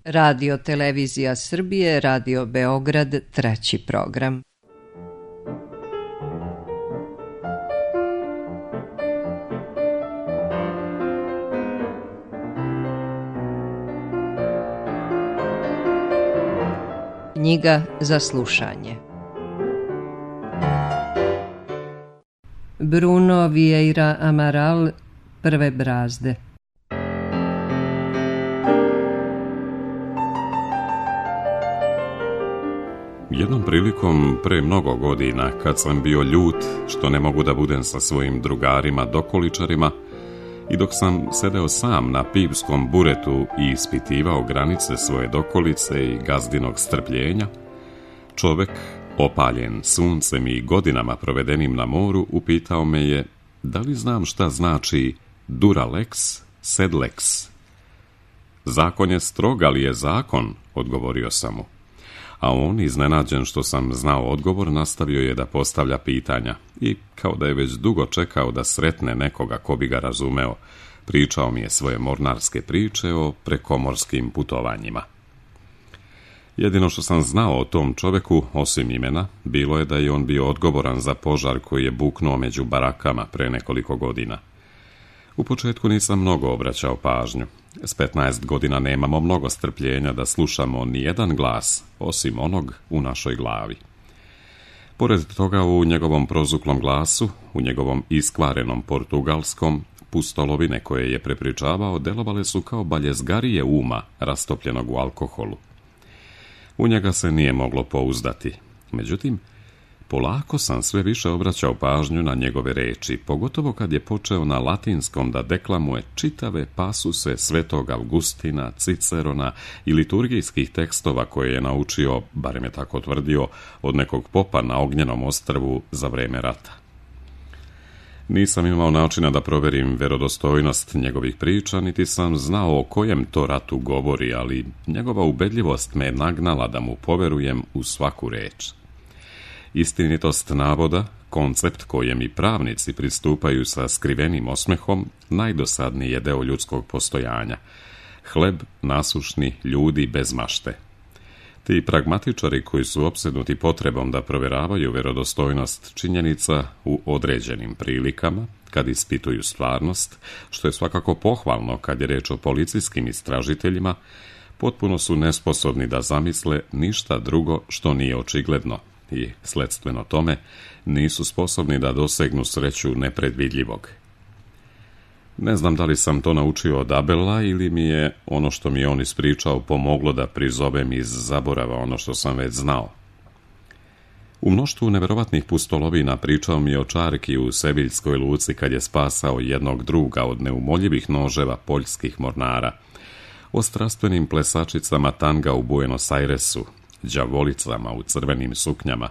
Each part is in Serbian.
Radio Televizija Srbije, Radio Beograd, treći program. Knjiga za slušanje. Bruno Vieira Amaral, Prve brazde. Jednom prilikom, pre mnogo godina, kad sam bio ljut što ne mogu da budem sa svojim drugarima dokoličarima i dok sam sedeo sam na pivskom buretu i ispitivao granice svoje dokolice i gazdinog strpljenja, čovek, opaljen suncem i godinama provedenim na moru, upitao me je da li znam šta znači dura lex, sed lex. Zakon je strog, ali je zakon, odgovorio sam mu. A on, iznenađen što sam znao odgovor, nastavio je da postavlja pitanja i, kao da je već dugo čekao da sretne nekoga ko bi ga razumeo, pričao mi je svoje mornarske priče o prekomorskim putovanjima. Jedino što sam znao o tom čoveku, osim imena, bilo je da je on bio odgovoran za požar koji je buknuo među barakama pre nekoliko godina. U početku nisam mnogo obraćao pažnju. S 15 godina nemamo mnogo strpljenja da slušamo ni jedan glas, osim onog u našoj glavi. Pored toga, u njegovom prozuklom glasu, u njegovom iskvarenom portugalskom, pustolovine koje je prepričavao delovale su kao baljezgarije uma rastopljenog u alkoholu. U njega se nije moglo pouzdati. Međutim, polako sam sve više obraćao pažnju na njegove reči, pogotovo kad je počeo na latinskom da deklamuje čitave pasuse Svetog Avgustina, Cicerona i liturgijskih tekstova koje je naučio, barem je tako tvrdio, od nekog popa na Ognjenom ostrvu za vreme rata. Nisam imao načina da proverim verodostojnost njegovih priča, niti sam znao o kojem to ratu govori, ali njegova ubedljivost me je nagnala da mu poverujem u svaku reč. Istinitost navoda, koncept kojem i pravnici pristupaju sa skrivenim osmehom, najdosadniji je deo ljudskog postojanja. Hleb nasušni ljudi bez mašte. Ti pragmatičari koji su opsednuti potrebom da proveravaju verodostojnost činjenica u određenim prilikama, kad ispituju stvarnost, što je svakako pohvalno kad je reč o policijskim istražiteljima, potpuno su nesposobni da zamisle ništa drugo što nije očigledno i, sledstveno tome, nisu sposobni da dosegnu sreću nepredvidljivog. Ne znam da li sam to naučio od Abela ili mi je ono što mi je on ispričao pomoglo da prizovem iz zaborava ono što sam već znao. U mnoštvu neverovatnih pustolovina pričao mi je o čarki u Seviljskoj luci kad je spasao jednog druga od neumoljivih noževa poljskih mornara, o strastvenim plesačicama tanga u Buenos Airesu, đavolicama u crvenim suknjama,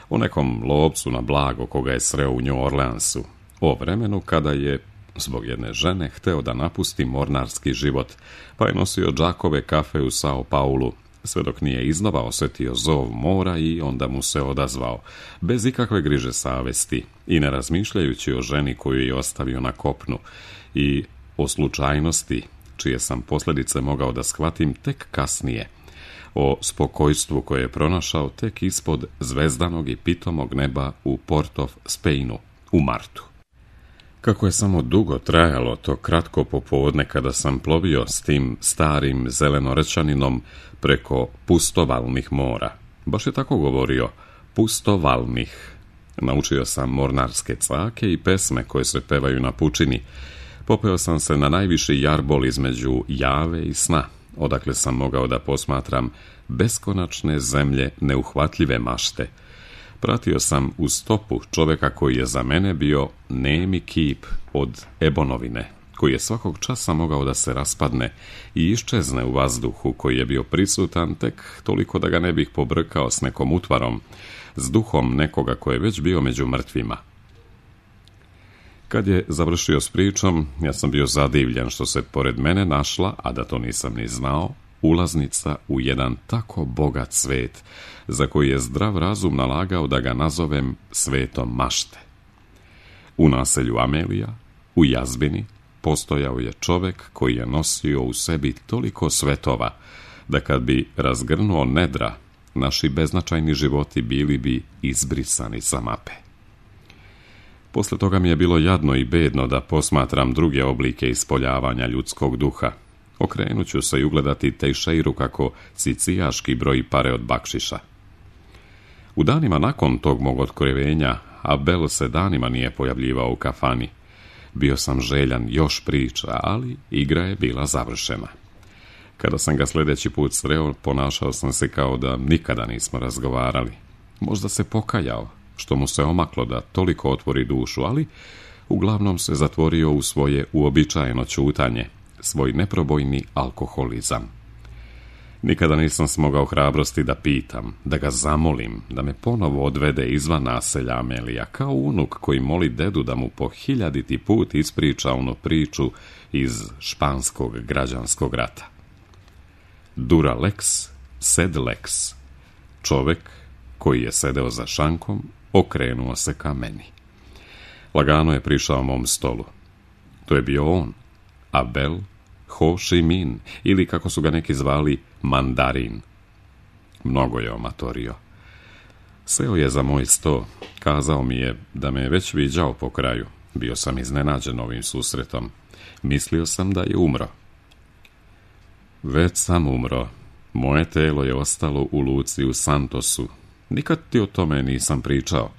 o nekom lovcu na blago koga je sreo u New Orleansu, o vremenu kada je, zbog jedne žene, hteo da napusti mornarski život, pa je nosio džakove kafe u Sao Paulu, sve dok nije iznova osetio zov mora i onda mu se odazvao, bez ikakve griže savesti i ne razmišljajući o ženi koju je ostavio na kopnu i o slučajnosti, čije sam posljedice mogao da shvatim tek kasnije, o spokojstvu koje je pronašao tek ispod zvezdanog i pitomog neba u Port of Spainu u martu. Kako je samo dugo trajalo to kratko popodne kada sam plovio s tim starim zelenorečaninom preko pustovalnih mora. Baš je tako govorio, pustovalnih. Naučio sam mornarske cake i pesme koje se pevaju na pučini. Popeo sam se na najviši jarbol između jave i sna, odakle sam mogao da posmatram beskonačne zemlje neuhvatljive mašte. Pratio sam u stopu čoveka koji je za mene bio nemi kip od ebonovine, koji je svakog časa mogao da se raspadne i iščezne u vazduhu, koji je bio prisutan tek toliko da ga ne bih pobrkao s nekom utvarom, s duhom nekoga koji je već bio među mrtvima. Kad je završio s pričom, ja sam bio zadivljen što se pored mene našla, a da to nisam ni znao, ulaznica u jedan tako bogat svet, za koji je zdrav razum nalagao da ga nazovem svetom mašte. U naselju Amelija, u jazbini, postojao je čovek koji je nosio u sebi toliko svetova, da kad bi razgrnuo nedra, naši beznačajni životi bili bi izbrisani sa mape. Posle toga mi je bilo jadno i bedno da posmatram druge oblike ispoljavanja ljudskog duha. Okrenut ću se i ugledati Tejšeiru kako sicijaški broji pare od bakšiša. U danima nakon tog mog otkrivenja, Abel se danima nije pojavljivao u kafani. Bio sam željan još priča, ali igra je bila završena. Kada sam ga sljedeći put sreo, ponašao sam se kao da nikada nismo razgovarali. Možda se pokajao, što mu se omaklo da toliko otvori dušu, ali uglavnom se zatvorio u svoje uobičajeno ćutanje, svoj neprobojni alkoholizam. Nikada nisam smogao hrabrosti da pitam, da ga zamolim, da me ponovo odvede izvan naselja Amelija, kao unuk koji moli dedu da mu po 1000. put ispriča onu priču iz španskog građanskog rata. Dura lex, sed lex. Čovek koji je sedeo za šankom, okrenuo se ka meni. Lagano je prišao mom stolu. To je bio on, Abel Ho Chi Minh, ili kako su ga neki zvali, Mandarin. Mnogo je omatorio. Seo je za moj sto, kazao mi je da me je već viđao po kraju. Bio sam iznenađen ovim susretom. Mislio sam da je umro. Već sam umro. Moje telo je ostalo u luci u Santosu. Nikad ti o tome nisam pričao.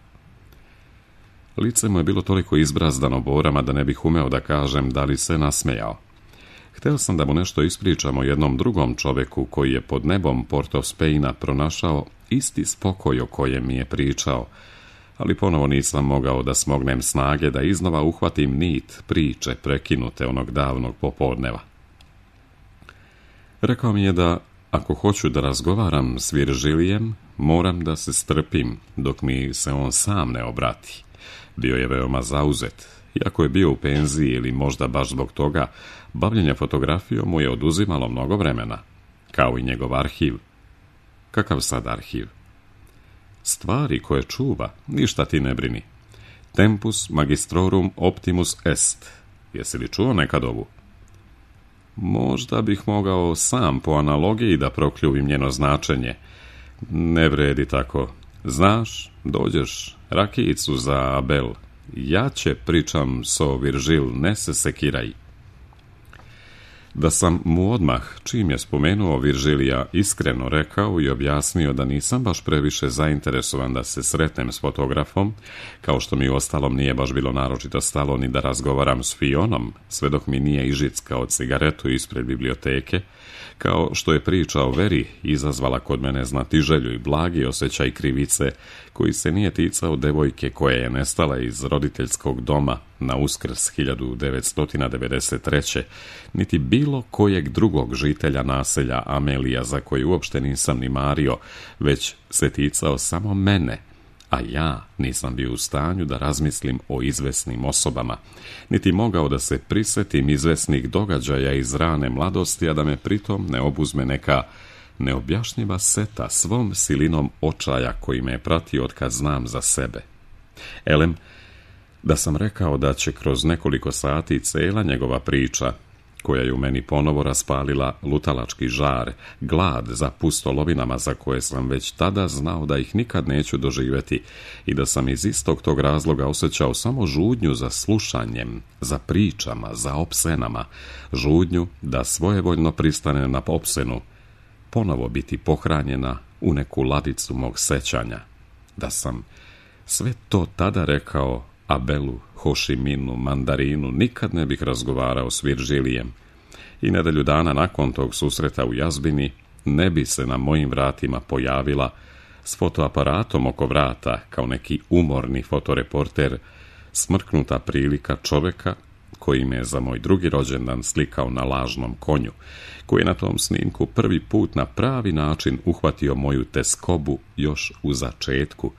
Lice mu je bilo toliko izbrazdano borama da ne bih umeo da kažem da li se nasmejao. Hteo sam da mu nešto ispričam o jednom drugom čoveku koji je pod nebom Port of Spaina pronašao isti spokoj o kojem mi je pričao, ali ponovo nisam mogao da smognem snage da iznova uhvatim nit priče prekinute onog davnog popodneva. Rekao mi je da ako hoću da razgovaram s Viržilijem, moram da se strpim dok mi se on sam ne obrati. Bio je veoma zauzet. Iako je bio u penziji ili možda baš zbog toga, bavljenje fotografijom mu je oduzimalo mnogo vremena, kao i njegov arhiv. Kakav sad arhiv? Stvari koje čuva, ništa ti ne brini. Tempus magistrorum optimus est. Jesi li čuo nekad ovu? Možda bih mogao sam po analogiji da prokljuvim njeno značenje. Ne vredi tako. Znaš, dođeš rakijicu za Abel. Ja će pričam so Viržil, ne se sekiraj. Da sam mu odmah, čim je spomenuo Viržilija, iskreno rekao i objasnio da nisam baš previše zainteresovan da se sretnem s fotografom, kao što mi uostalom nije baš bilo naročito stalo ni da razgovaram s Fionom, sve dok mi nije ižickao cigaretu ispred biblioteke, kao što je priča o veri izazvala kod mene znatiželju i blagi osjećaj krivice, koji se nije ticao devojke koja je nestala iz roditeljskog doma na Uskrs 1993. niti bilo kojeg drugog žitelja naselja Amelija za koji uopšte nisam ni mario, već se ticao samo mene, a ja nisam bio u stanju da razmislim o izvesnim osobama, niti mogao da se prisetim izvesnih događaja iz rane mladosti, a da me pritom ne obuzme neka neobjašnjiva seta svom silinom očaja koji me je pratio od kad znam za sebe. Elem, da sam rekao da će kroz nekoliko sati cela njegova priča, koja je u meni ponovo raspalila lutalački žar, glad za pustolovinama za koje sam već tada znao da ih nikad neću doživjeti i da sam iz istog tog razloga osjećao samo žudnju za slušanjem, za pričama, za opsenama, žudnju da svojevoljno pristane na opsenu, ponovo biti pohranjena u neku ladicu mog sećanja. Da sam sve to tada rekao Abelu, Ho Chi Minhu, Mandarinu, nikad ne bih razgovarao s Viržilijem i nedelju dana nakon tog susreta u jazbini ne bi se na mojim vratima pojavila s fotoaparatom oko vrata kao neki umorni fotoreporter smrknuta prilika čoveka koji me je za moj drugi rođendan slikao na lažnom konju, koji je na tom snimku prvi put na pravi način uhvatio moju teskobu još u začetku,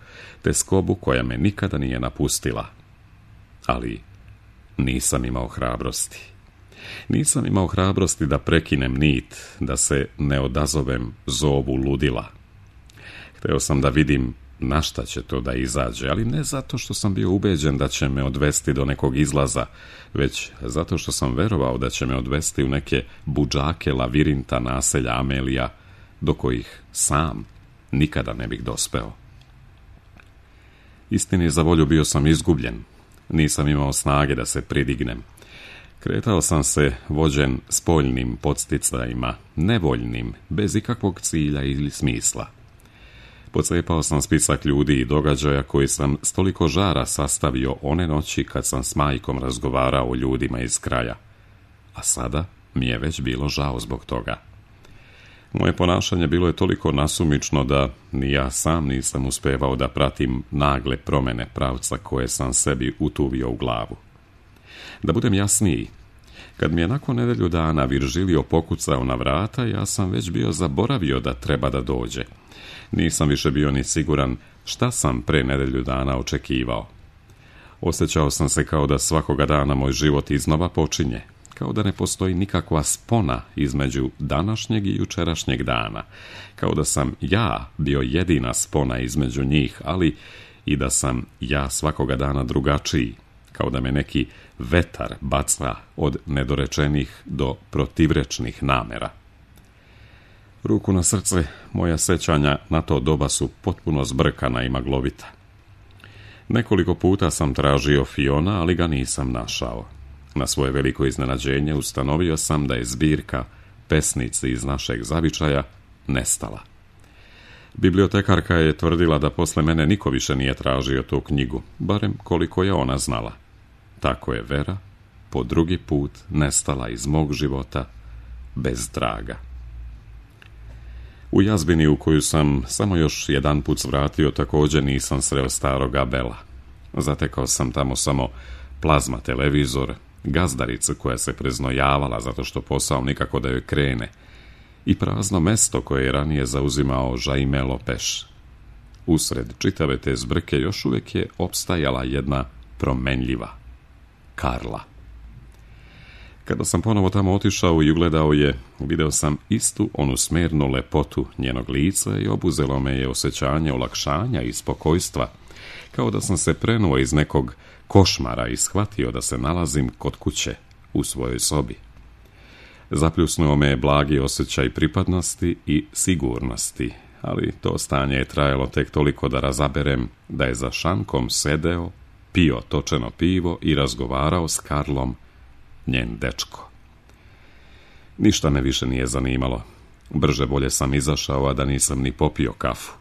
teskobu koja me nikada nije napustila. Ali nisam imao hrabrosti. Nisam imao hrabrosti da prekinem nit, da se ne odazovem zovu ludila. Hteo sam da vidim na šta će to da izađe, ali ne zato što sam bio ubeđen da će me odvesti do nekog izlaza, već zato što sam verovao da će me odvesti u neke budžake lavirinta naselja Amelija, do kojih sam nikada ne bih dospeo. Istini za volju bio sam izgubljen, nisam imao snage da se pridignem. Kretao sam se vođen spoljnim podsticajima, nevoljnim, bez ikakvog cilja ili smisla. Pocepao sam spisak ljudi i događaja koji sam s toliko žara sastavio one noći kad sam s majkom razgovarao o ljudima iz kraja. A sada mi je već bilo žao zbog toga. Moje ponašanje bilo je toliko nasumično da ni ja sam nisam uspevao da pratim nagle promjene pravca koje sam sebi utuvio u glavu. Da budem jasniji, kad mi je nakon nedelju dana Viržilio pokucao na vrata, ja sam već bio zaboravio da treba da dođe. Nisam više bio ni siguran šta sam pre nedelju dana očekivao. Osjećao sam se kao da svakoga dana moj život iznova počinje, kao da ne postoji nikakva spona između današnjeg i jučerašnjeg dana, kao da sam ja bio jedina spona između njih, ali i da sam ja svakoga dana drugačiji, kao da me neki vetar baca od nedorečenih do protivrečnih namera. Ruku na srce, moja sećanja na to doba su potpuno zbrkana i maglovita. Nekoliko puta sam tražio Fiona, ali ga nisam našao. Na svoje veliko iznenađenje ustanovio sam da je zbirka pesnici iz našeg zavičaja nestala. Bibliotekarka je tvrdila da posle mene niko više nije tražio tu knjigu, barem koliko je ona znala. Tako je Vera po drugi put nestala iz mog života bez traga. U jazbini u koju sam samo još jedan put svratio također nisam sreo starog Abela. Zatekao sam tamo samo plazma televizor, gazdaricu koja se preznojavala zato što posao nikako da joj krene i prazno mesto koje je ranije zauzimao Jaime Lopeš. Usred čitave te zbrke još uvijek je opstajala jedna promenljiva, Karla. Kada sam ponovo tamo otišao i ugledao je, video sam istu onu smernu lepotu njenog lica i obuzelo me je osjećanje olakšanja i spokojstva, kao da sam se prenuo iz nekog košmara i shvatio da se nalazim kod kuće, u svojoj sobi. Zapljusnuo me je blagi osjećaj pripadnosti i sigurnosti, ali to stanje je trajalo tek toliko da razaberem da je za šankom sedeo, pio točeno pivo i razgovarao s Karlom, njen dečko. Ništa me više nije zanimalo. Brže bolje sam izašao, a da nisam ni popio kafu.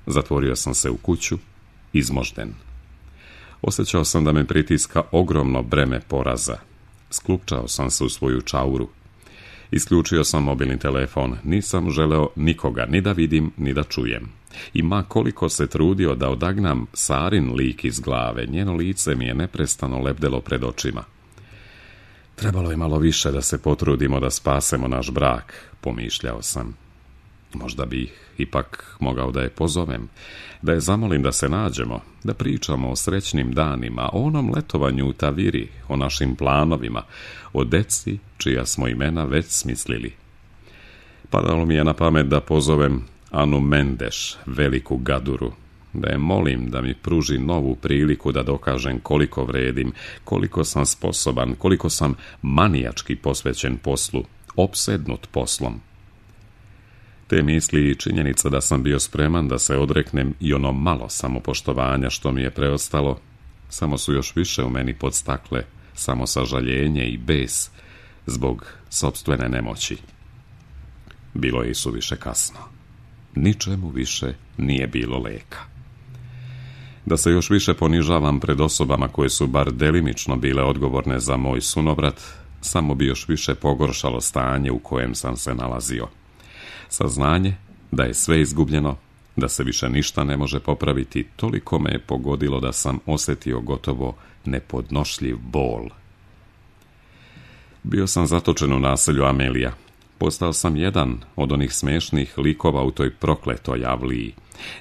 Zatvorio sam se u kuću, izmožden. Osjećao sam da me pritiska ogromno breme poraza. Sklupčao sam se u svoju čauru. Isključio sam mobilni telefon, nisam želeo nikoga ni da vidim, ni da čujem. I ma koliko se trudio da odagnam Sarin lik iz glave, njeno lice mi je neprestano lebdelo pred očima. Trebalo je malo više da se potrudimo da spasemo naš brak, pomišljao sam. Možda bih ipak mogao da je pozovem, da je zamolim da se nađemo, da pričamo o srećnim danima, o onom letovanju u Taviri, o našim planovima, o deci čija smo imena već smislili. Padalo mi je na pamet da pozovem Anu Mendeš, veliku gaduru, da je molim da mi pruži novu priliku da dokažem koliko vredim, koliko sam sposoban, koliko sam manijački posvećen poslu, opsednut poslom. Te misli i činjenica da sam bio spreman da se odreknem i ono malo samopoštovanja što mi je preostalo, samo su još više u meni podstakle samosažaljenje i bes zbog sopstvene nemoći. Bilo je i suviše kasno. Ničemu više nije bilo leka. Da se još više ponižavam pred osobama koje su bar delimično bile odgovorne za moj sunovrat, samo bi još više pogoršalo stanje u kojem sam se nalazio. Saznanje da je sve izgubljeno, da se više ništa ne može popraviti, toliko me je pogodilo da sam osjetio gotovo nepodnošljiv bol. Bio sam zatočen u naselju Amelija. Postao sam jedan od onih smešnih likova u toj prokletoj avliji.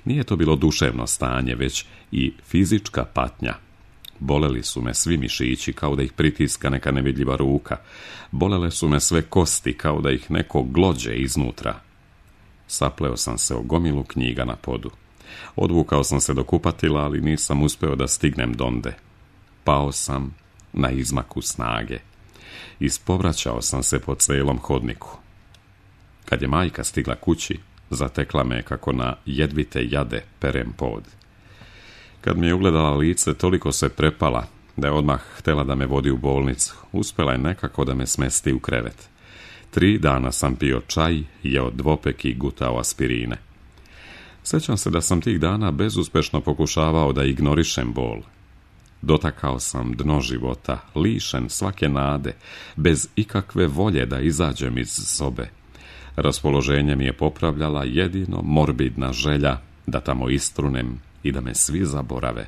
Nije to bilo duševno stanje, već i fizička patnja. Boleli su me svi mišići kao da ih pritiska neka nevidljiva ruka. Bolele su me sve kosti kao da ih neko glođe iznutra. Sapleo sam se o gomilu knjiga na podu. Odvukao sam se do kupatila, ali nisam uspeo da stignem donde. Pao sam na izmaku snage. Ispovraćao sam se po celom hodniku. Kad je majka stigla kući, zatekla me kako na jedvite jade perem pod. Kad mi je ugledala lice, toliko se prepala da je odmah htjela da me vodi u bolnicu. Uspjela je nekako da me smesti u krevet. 3 dana sam pio čaj, jeo dvopek i gutao aspirine. Sjećam se da sam tih dana bezuspešno pokušavao da ignorišem bol. Dotakao sam dno života, lišen svake nade, bez ikakve volje da izađem iz sobe. Raspoloženje mi je popravljala jedino morbidna želja da tamo istrunem i da me svi zaborave.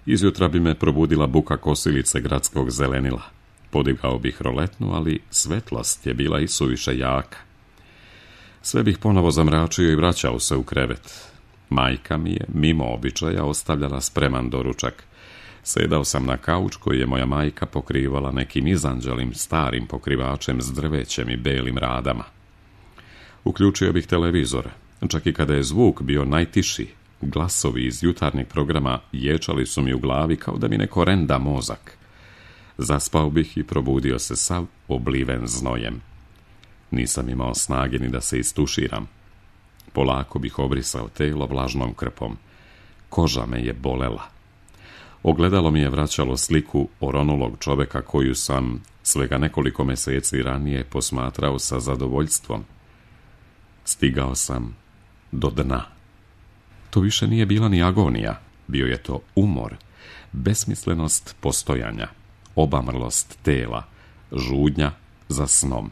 Izjutra bi me probudila buka kosilice gradskog zelenila. Podigao bih roletnu, ali svetlost je bila isuviše jaka. Sve bih ponovo zamračio i vraćao se u krevet. Majka mi je, mimo običaja, ostavljala spreman doručak. Sedao sam na kauč koji je moja majka pokrivala nekim izanđelim starim pokrivačem s drvećem i belim radama. Uključio bih televizor. Čak i kada je zvuk bio najtiši, glasovi iz jutarnjeg programa ječali su mi u glavi kao da mi neko renda mozak. Zaspao bih i probudio se sav obliven znojem. Nisam imao snage ni da se istuširam. Polako bih obrisao telo vlažnom krpom. Koža me je bolela. Ogledalo mi je vraćalo sliku oronulog čoveka koju sam svega nekoliko mjeseci ranije posmatrao sa zadovoljstvom. Stigao sam do dna. To više nije bila ni agonija, bio je to umor, besmislenost postojanja, obamrlost tela, žudnja za snom.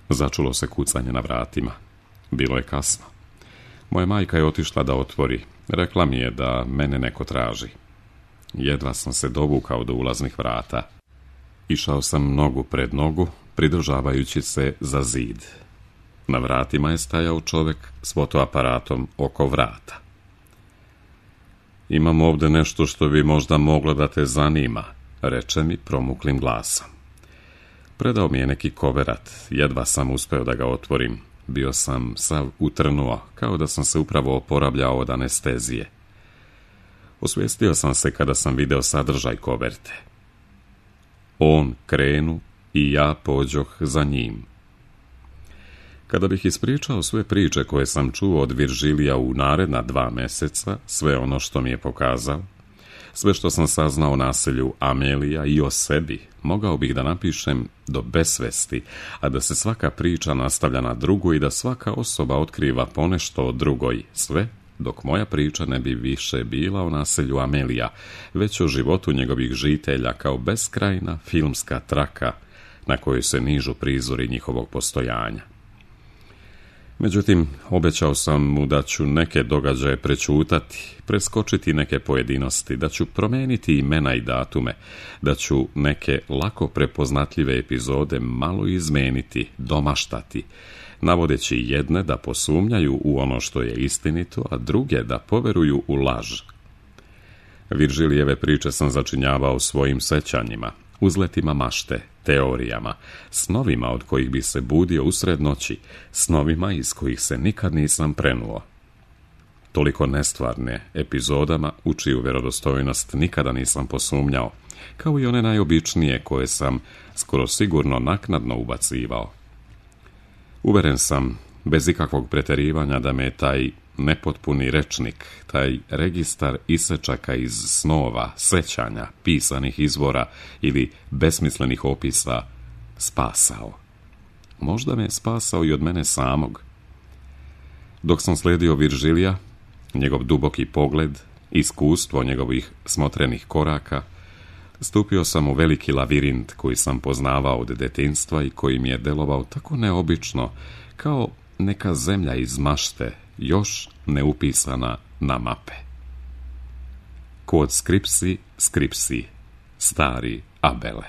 Začulo se kucanje na vratima. Bilo je kasno. Moja majka je otišla da otvori. Rekla mi je da mene neko traži. Jedva sam se dovukao do ulaznih vrata. Išao sam nogu pred nogu, pridržavajući se za zid. Na vratima je stajao čovjek s fotoaparatom oko vrata. Imam ovdje nešto što bi možda moglo da te zanima, reče mi promuklim glasom. Predao mi je neki koverat, jedva sam uspeo da ga otvorim. Bio sam sav utrnuo, kao da sam se upravo oporavljao od anestezije. Osvijestio sam se kada sam video sadržaj koverte. On krenu i ja pođoh za njim. Kada bih ispričao sve priče koje sam čuo od Viržilija u naredna 2 mjeseca, sve ono što mi je pokazao, sve što sam saznao o naselju Amelija i o sebi, mogao bih da napišem do besvesti, a da se svaka priča nastavlja na drugu i da svaka osoba otkriva ponešto o drugoj, sve dok moja priča ne bi više bila o naselju Amelija, već o životu njegovih žitelja kao beskrajna filmska traka na kojoj se nižu prizori njihovog postojanja. Međutim, obećao sam mu da ću neke događaje prečutati, preskočiti neke pojedinosti, da ću promijeniti imena i datume, da ću neke lako prepoznatljive epizode malo izmeniti, domaštati, navodeći jedne da posumnjaju u ono što je istinito, a druge da poveruju u laž. Viržilijeve priče sam začinjavao svojim sećanjima, uzletima mašte, teorijama, snovima od kojih bi se budio usred noći, snovima iz kojih se nikad nisam prenuo. Toliko nestvarne epizodama u čiju vjerodostojnost nikada nisam posumnjao, kao i one najobičnije koje sam skoro sigurno naknadno ubacivao. Uveren sam, bez ikakvog pretjerivanja, da me taj nepotpuni rečnik, taj registar isečaka iz snova, sećanja, pisanih izvora ili besmislenih opisa spasao. Možda me je spasao i od mene samog. Dok sam slijedio Viržilija, njegov duboki pogled, iskustvo njegovih smotrenih koraka, stupio sam u veliki lavirint koji sam poznavao od detinjstva i koji mi je delovao tako neobično, kao neka zemlja iz mašte, još neupisana na mape. Kod skripsi, skripsi, stari Abele.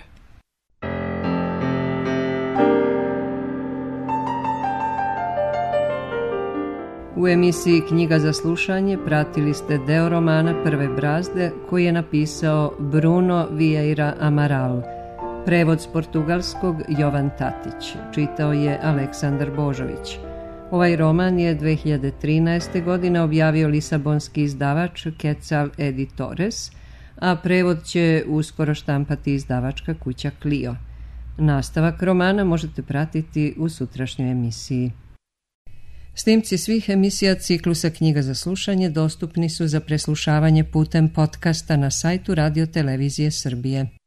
U emisiji Knjiga za slušanje pratili ste deo romana Prve brazde koji je napisao Bruno Vieira Amaral. Prevod s portugalskog Jovan Tatić. Čitao je Aleksandar Božović. Ovaj roman je 2013. godine objavio lisabonski izdavač Quetzal Editores, a prevod će uskoro štampati izdavačka kuća Clio. Nastavak romana možete pratiti u sutrašnjoj emisiji. Snimci svih emisija ciklusa Knjiga za slušanje dostupni su za preslušavanje putem podcasta na sajtu Radio Televizije Srbije.